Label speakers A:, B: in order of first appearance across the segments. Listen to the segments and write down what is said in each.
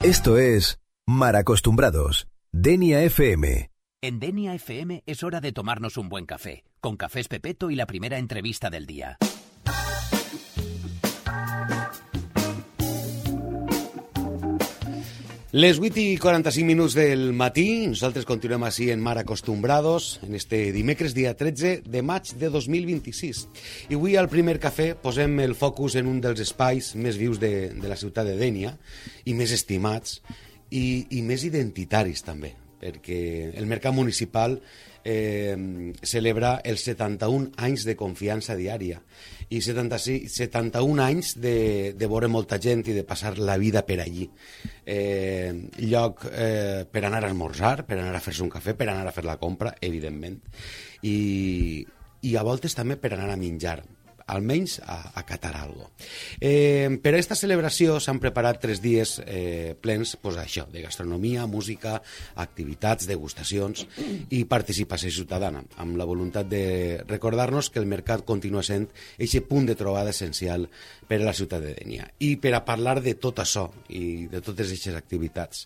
A: Esto es Mal Acostumbrados, Denia FM.
B: En Denia FM es hora de tomarnos un buen café, con Cafés Pepeto y la primera entrevista del día.
C: Les 8:45 del matí, nosaltres continuem així en Mal Acostumbrados, en este dimecres, dia 13 de maig de 2026. I avui al primer cafè posem el focus en un dels espais més vius de la ciutat de Dénia, i més estimats, i més identitaris també, perquè el mercat municipal celebra els 71 anys de confiança diària i 71 anys de veure molta gent i de passar la vida per allí. Lloc per anar a esmorzar, per anar a fer-se un cafè, per anar a fer la compra, evidentment, i a voltes també per anar a menjar, almenys a catar algo. Per a aquesta celebració s'han preparat 3 dies plens això, de gastronomia, música, activitats, degustacions i participació ciutadana, amb la voluntat de recordar-nos que el mercat continua sent aquest punt de trobada essencial per a la ciutat de Dénia. I per a parlar de tot això i de totes aquestes activitats,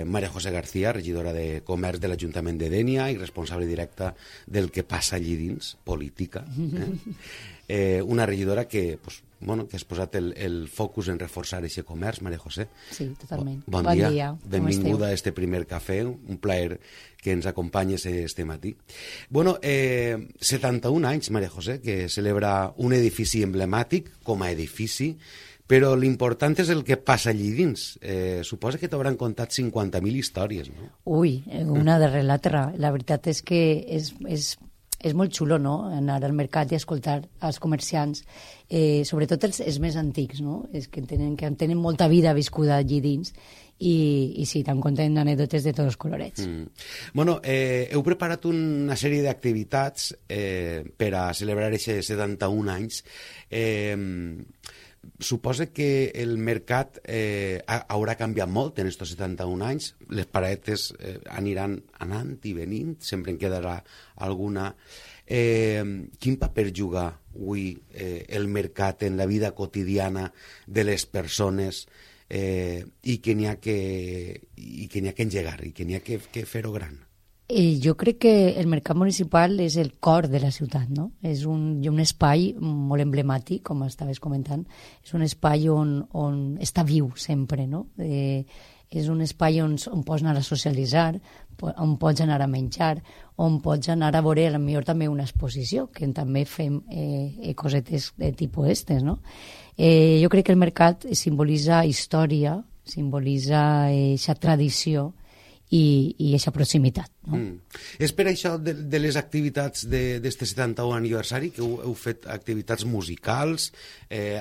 C: María José García, regidora de Comerç de l'Ajuntament de Dénia i responsable directa del que passa allí dins, política, una regidora que has posat el focus en reforçar aquest comerç, María José.
D: Sí, totalment.
C: Bon dia. Benvinguda a este primer cafè, un plaer que ens acompanyes este matí. 71 anys, María José, que celebra un edifici emblemàtic com a edifici, però l'important és el que passa allí dins. Suposa que t'hauran contat 50.000 històries, no?
D: Ui, una darrere l'altra. La veritat és que és molt xulo, no?, anar al mercat i escoltar els comerciants, sobretot els més antics, no?, és que tenen molta vida viscuda allí dins i sí, tan content d'anècdotes de tots els colorets.
C: Heu preparat una sèrie d'activitats per a celebrar aquests 71 anys. Suposa que el mercat haurà canviat molt en aquests 71 anys. Les paradetes aniran anant i venint, sempre en quedarà alguna. Quin paper juga avui el mercat en la vida quotidiana de les persones i que n'hi ha que engegar i que n'hi ha que fer-ho gran?
D: Jo crec que el mercat municipal és el cor de la ciutat, no? És un espai molt emblemàtic, com estaves comentant. És un espai on està viu sempre, no? És un espai on pots anar a socialitzar, on pots anar a menjar, on pots anar a veure potser també una exposició, que també fem cosetes de tipus estes, no? Jo crec que el mercat simbolitza història, simbolitza aquesta tradició i aquesta proximitat, no?
C: És per això de les activitats d'este 71 aniversari que heu fet activitats musicals,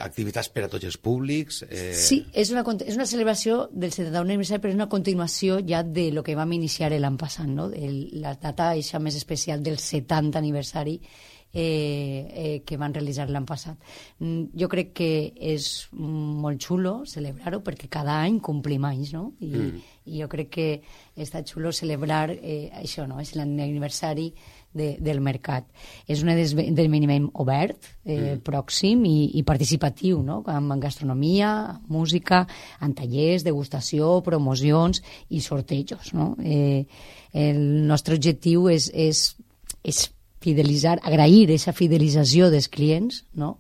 C: activitats per a tots els públics?
D: Sí, és una celebració del 71 aniversari, però és una continuació ja de lo que vam iniciar l'any passat, no? La data eixa més especial del 70 aniversari que van realitzar l'any passat. Jo crec que és molt xulo celebrar-ho perquè cada any complim anys, no? I jo crec que està xulo celebrar això, no? És l'aniversari del mercat. És un esdeveniment obert, pròxim i participatiu, no? Amb gastronomia, música, en tallers, degustació, promocions i sortejos, no? El nostre objectiu és fidelitzar, agrair aquesta fidelització dels clients, no?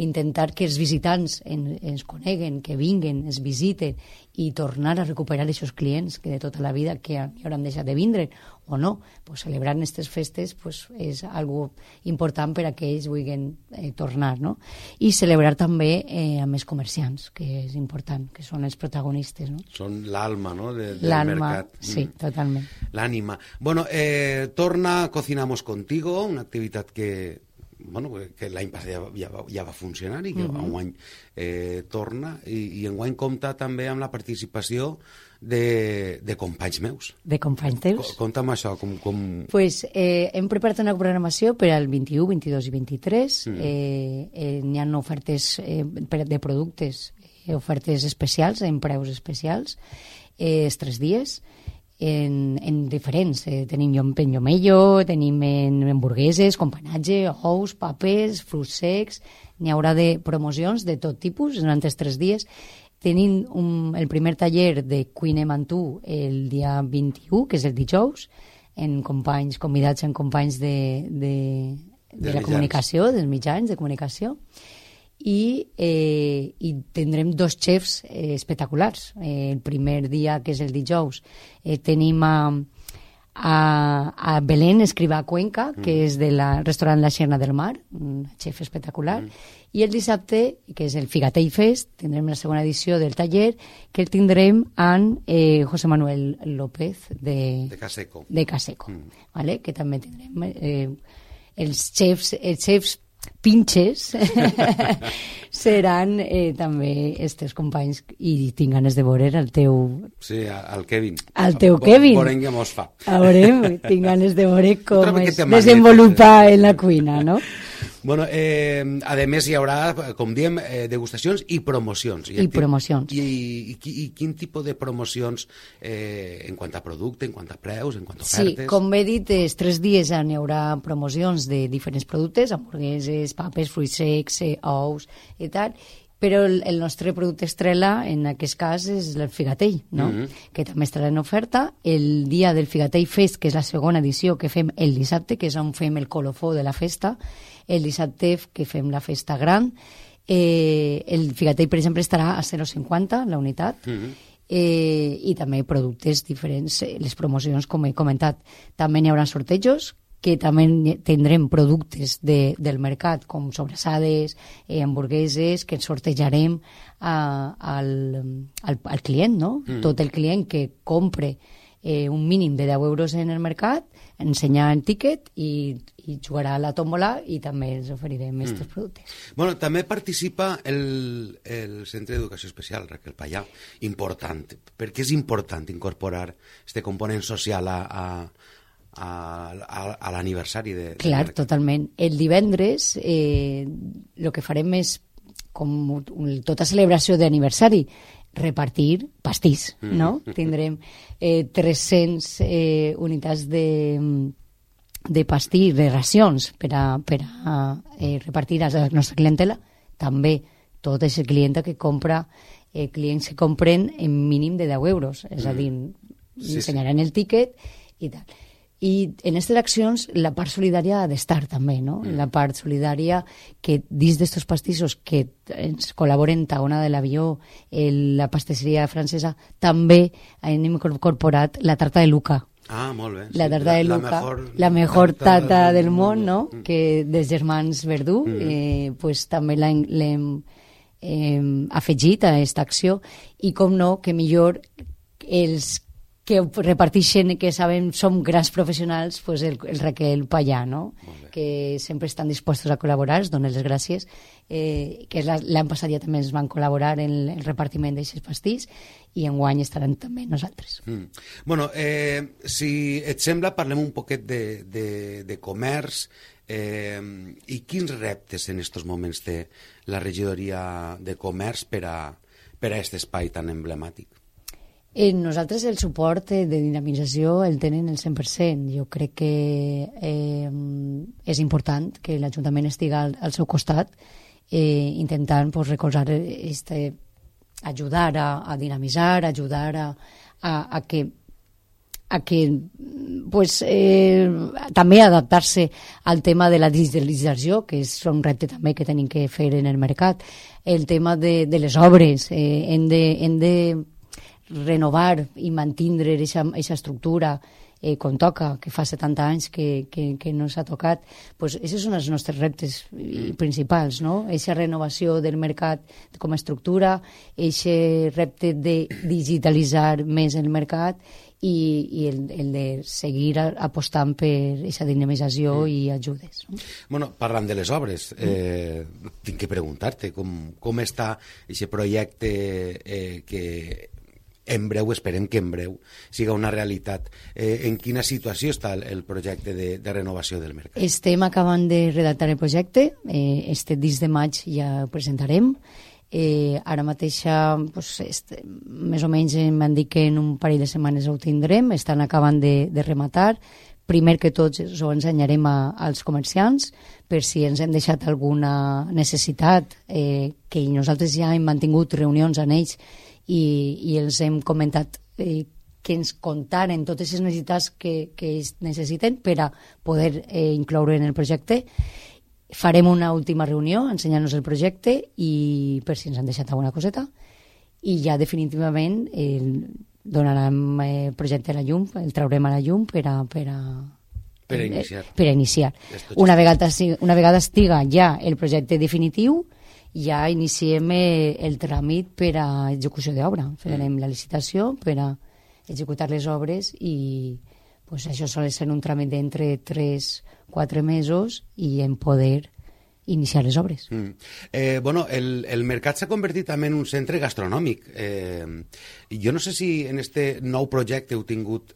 D: Intentar que els visitants ens coneguen, que vinguen, es visiten i tornar a recuperar aquests clients que de tota la vida que hauran deixat de vindre o no. Pues celebrar aquestes festes és algo important per a que ells vulguin tornar, no? I celebrar també amb els comerciants, que és important, que són els protagonistes, no?
C: Són l'alma, no?, del
D: mercat.
C: Sí,
D: totalment.
C: L'ànima. Torna Cocinamos Contigo, una activitat que l'any passat ja va funcionar i que enguany torna, i enguany compta també amb la participació de companys meus.
D: De companys teus?
C: Conta'm això, com...
D: Pues hem preparat una programació per al 21, 22 i 23. N'hi ha ofertes de productes, ofertes especials, en preus especials, els 3 dies, en diferents. Tenim llomello, tenim hamburgueses, companatge, ous, papes, fruits secs. N'hi haurà de promocions de tot tipus durant els 3 dies. tenim el primer taller de cuina Mantú el dia 21, que és el dijous, convidats en companys de la comunicació, dels mitjans de comunicació, i tindrem 2 xefs espectaculars. El primer dia, que és el dijous, tenim a Belén Escrivà Cuenca, que és del restaurant La Xerna del Mar, un xef espectacular, i el dissabte, que és el Figatell Fest, tindrem la segona edició del taller, que el tindrem amb José Manuel López de Caseco, vale? Que també tindrem els xefs pinches seran també estes companys, i tinc ganes de veure el teu...
C: Sí, el Kevin.
D: El teu Kevin.
C: Veurem què mos fa.
D: Veurem, tinc ganes de veure com es desenvolupa en la cuina, no?
C: Bueno, a més hi haurà, com diem, degustacions i promocions.
D: I promocions.
C: I quin tipus de promocions en quant a producte, en quant a preus, en quant a ofertes?
D: Sí, com he dit, els 3 dies hi haurà promocions de diferents productes, hamburgueses, papes, fruits secs, ous i tal, però el nostre producte estrella en aquest cas és el Figatell, no? Que també estarà en oferta. El dia del Figatell Fest, que és la segona edició que fem el dissabte, que és on fem el colofó de la festa, el dissabte que fem la festa gran, el Figatell, per exemple, estarà a 0,50 la unitat, i també productes diferents, les promocions, com he comentat. També n'hi haurà sortejos, que també tindrem productes del mercat, com sobrassades, hamburgueses, que sortejarem al client, no? Tot el client que compre un mínim de 10 euros en el mercat, ensenyar el tíquet i jugarà a la tómbola, i també ens oferirem aquests productes.
C: Bueno, també participa el Centre d'Educació Especial, Raquel Payà, important. Per què és important incorporar este component social a l'aniversari de...
D: Clar, totalment. El divendres el que farem és, com tota celebració d'aniversari, repartir pastís, no? Tindrem 300 unitats de pastís, de racions, per a repartir a la nostra clientela. També tota aquesta clienta que compra, clients que compren en mínim de 10 euros, és a dir, ensenyaran el tíquet i tal. I en aquestes accions la part solidària ha d'estar també, no? La part solidària que dins d'estos pastissos que ens col·laboren Taona de l'Avió, la pastisseria francesa, també hem incorporat la tarta de Luca.
C: Ah, molt bé.
D: La tarta de Luca, la mejor tarta del món, no? Que dels germans Verdú, pues també l'hem afegit a aquesta acció, i com no, que millor els que reparteixen, que sabem som grans professionals, pues el Raquel Payà, no? Que sempre estan dispostos a col·laborar, es donen les gràcies, que l'any passat ja també ens van col·laborar en el repartiment d'aquests pastís, i enguany estaran també nosaltres.
C: Bueno, si et sembla, parlem un poquet de comerç, i quins reptes en aquests moments té la regidoria de comerç per a aquest espai tan emblemàtic?
D: Nosaltres el suport de dinamització el tenen el 100%. Jo crec que és important que l'Ajuntament estigui al seu costat, intentant recolzar, ajudar a dinamitzar, ajudar a que també adaptar-se al tema de la digitalització, que és un repte també que tenim que fer en el mercat. El tema de les obres, hem de renovar i mantindre aquesta estructura com toca, que fa 70 anys que no s'ha tocat. Pues aquests són els nostres reptes principals, no? Aquesta renovació del mercat com a estructura, aquest repte de digitalitzar més el mercat, i el de seguir apostant per aquesta dinamització i ajudes.
C: Bueno, parlant de les obres, tinc que preguntar-te com està aquest projecte que en breu, esperem que en breu siga una realitat. En quina situació està el projecte de renovació del mercat?
D: Estem acabant de redactar el projecte, este 10 de maig ja ho presentarem. Ara mateix, més o menys m'han dit que en un parell de setmanes ho tindrem, estan acabant de rematar, primer que tots ho ensenyarem als comerciants, per si ens hem deixat alguna necessitat, que nosaltres ja hem mantingut reunions amb ells i els hem comentat que ens contaren totes les necessitats que ells necessiten per a poder incloure en el projecte. Farem una última reunió ensenyant-nos el projecte i per si ens han deixat alguna coseta, i ja definitivament donarem el projecte a la llum, el traurem a la llum per a iniciar. Una vegada estiga ja el projecte definitiu, ja iniciem el tràmit per a execució d'obra. Farem la licitació per a executar les obres i pues, això sol ser un tràmit d'entre 3-4 mesos i en poder iniciar les obres.
C: Bueno, el mercat s'ha convertit també en un centre gastronòmic. Jo no sé si en este nou projecte heu tingut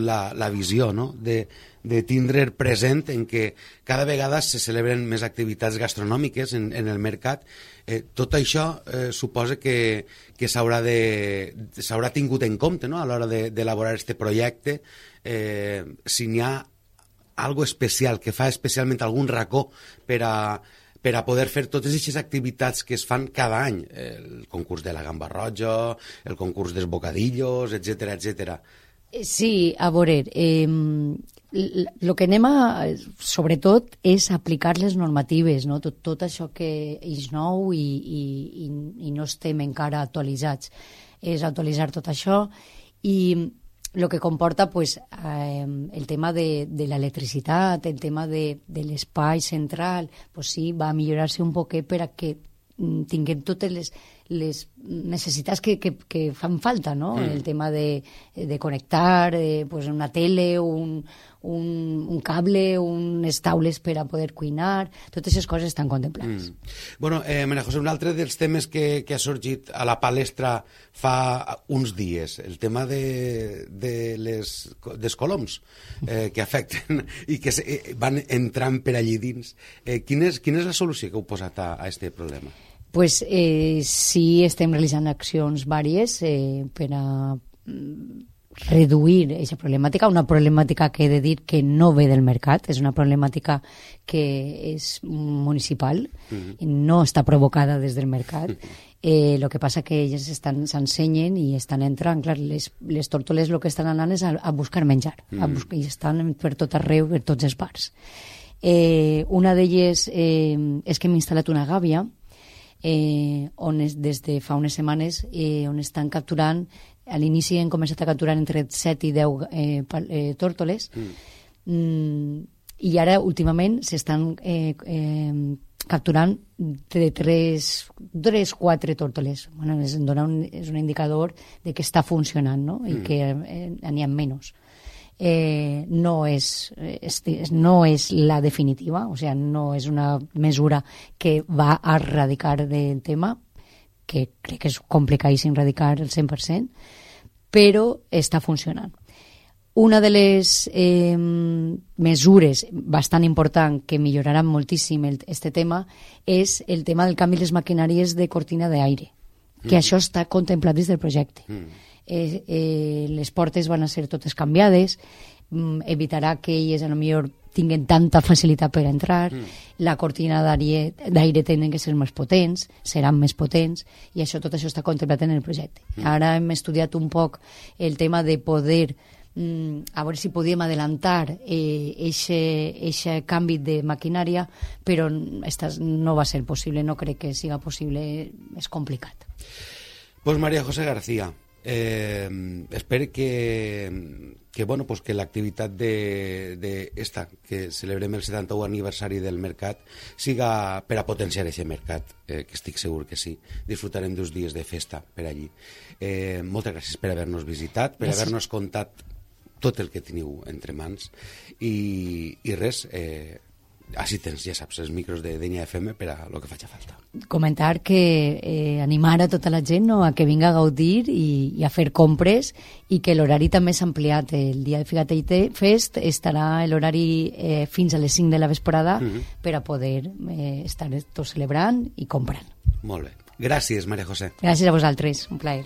C: la visió, no?, de tindre present en què cada vegada se celebren més activitats gastronòmiques en el mercat. Tot això suposa que s'haurà tingut en compte, no?, a l'hora d'elaborar este projecte, si n'hi ha algo especial, que fa especialment algun racó per a poder fer totes aquestes activitats que es fan cada any, el concurs de la gamba roja, el concurs dels bocadillos, etc etc.
D: Sí, a veure, el que anem sobretot és aplicar les normatives, no? Tot això que és nou i no estem encara actualitzats. És actualitzar tot això i el que comporta pues, el tema de l'electricitat, el tema de l'espai central, pues sí, va millorar-se un poquet per a que tinguem totes les necessitats que fan falta, no? El tema de connectar pues una tele, un cable, unes taules per a poder cuinar, totes aquestes coses estan contemplades.
C: Bueno, Maria José, un altre dels temes que ha sorgit a la palestra fa uns dies, el tema dels coloms que afecten i que van entrant per allí dins. Quina és la solució que heu posat a aquest problema?
D: Pues sí, estem realitzant accions vàries per a reduir aquesta problemàtica, una problemàtica que he de dir que no ve del mercat, és una problemàtica que és municipal, no està provocada des del mercat. El que passa que elles s'ensenyen i estan entrant, clar, les tórtoles el que estan anant és a buscar menjar, i estan per tot arreu, per tots els bars. Una d'elles és que hem instal·lat una gàbia on des de fa unes setmanes on estan capturant, a l'inici han començat a capturar entre 7 i 10 tórtoles i ara últimament s'estan capturant de 3-4 tórtoles. Bueno, és un indicador de que està funcionant, no? I que n'hi ha menys. No és la definitiva, o sea, no és una mesura que va a erradicar el tema, que crec que és complicadíssim erradicar el 100%, però està funcionant. Una de les mesures bastant important que milloraran moltíssim este tema és el tema del canvi de les maquinàries de cortina d'aire, que això està contemplat dins del projecte. Les portes van a ser totes canviades, evitarà que elles potser tinguen tanta facilitat per entrar, la cortina d'aire tenen que ser més potents, seran més potents, i tot això està contemplat en el projecte. Ara hem estudiat un poc el tema de poder, a veure si podíem adelantar aquest canvi de maquinària, però no va ser possible, no crec que siga possible, és complicat.
C: Pues María José García, espero que l'activitat d'esta, que celebrem el 71 aniversari del mercat, siga per a potenciar aquest mercat, que estic segur que sí. Disfrutarem d'uns dies de festa per allí. Moltes gràcies per haver-nos visitat, per haver-nos contat tot el que teniu entre mans i res, així tens, ja saps, els micros de Denya FM per a lo que faci falta.
D: Comentar que animar a tota la gent, no?, a que vinga a gaudir i a fer compres, i que l'horari també s'ha ampliat. El dia de Figatell Fest estarà l'horari fins a les 5 de la vesprada per a poder estar tots celebrant i comprant.
C: Molt bé. Gràcies, Maria José.
D: Gràcies a vosaltres, un plaer.